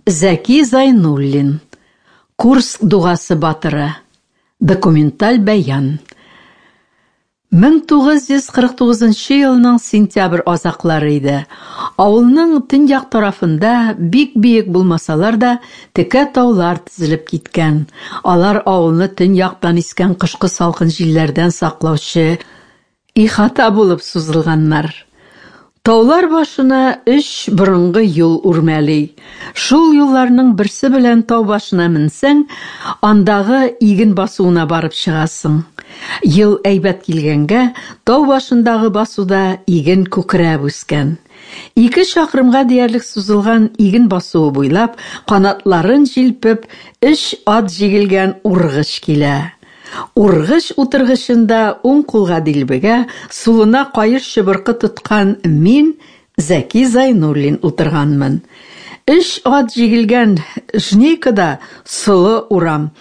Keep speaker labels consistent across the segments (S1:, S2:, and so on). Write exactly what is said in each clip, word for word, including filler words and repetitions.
S1: Зәки Зайнуллин. Курск дугасы батыры. Документаль бәян. мең тугыз йөз кырык тугызынчы елның сентябрь азаклары иде. Авылның төньяк тарафында бик биек булмасалар да, текә таулар тезелеп киткән. Алар авылны төньяктан искән кышкы салкын җилләрдән саклаучы ихата булып сузылганнар. Таулар башына өч борынгы юл үрмәли. Шул юлларның берсе белән тау башына менсәң, андагы иген басуына барып чыгасың. Ел әйбәт килгәнгә, тау башындагы басуда иген күкрәп үскән. Ике чакрымга диярлек сузылган иген басуы буйлап, канатларын җилпеп, өч ат җигелгән ургыч килә. Ургыч утыргычында уң кулга дилбегә, сулына каеш чыбыркы тоткан мин, Зәки Зайнуллин, утырганмын. Өч ат җигелгән жнейкада солы урам.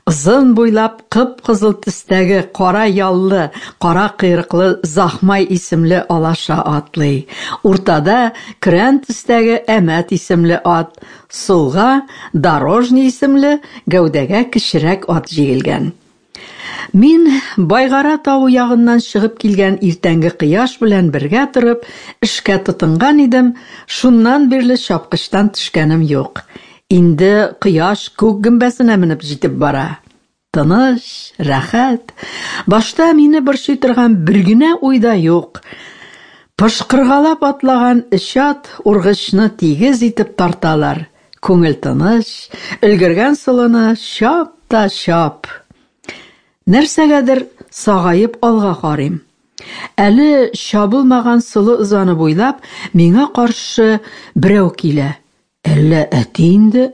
S1: Озын буйлап кып-кызыл төстәге кара яллы, кара койрыклы Захмай исемле алаша атлый. Уртада көрән төстәге Әмәт исемле ат, сулга Дорожный исемле гәүдәгә кечерәк ат җигелгән. Мин Байгара тавы ягыннан чыгып килгән иртәнге кояш белән бергә торып, эшкә тотынган идем, шуннан бирле чапкычтан төшкәнем юк. Инде кояш күк гөмбәзенә менеп җитеп бара. Тыныч, рәхәт. Башта мине борчый торган бер генә уй да юк. Пошкыргалап атлаган өч ат ургычны тигез итеп тарталар. Күңел тыныч, өлгергән солыны чап та чап. Нәрсәгәдер сагаеп алга карыйм. Әле чабылмаган солы ызаны буйлап миңа каршы берәү килә. Әллә әти инде?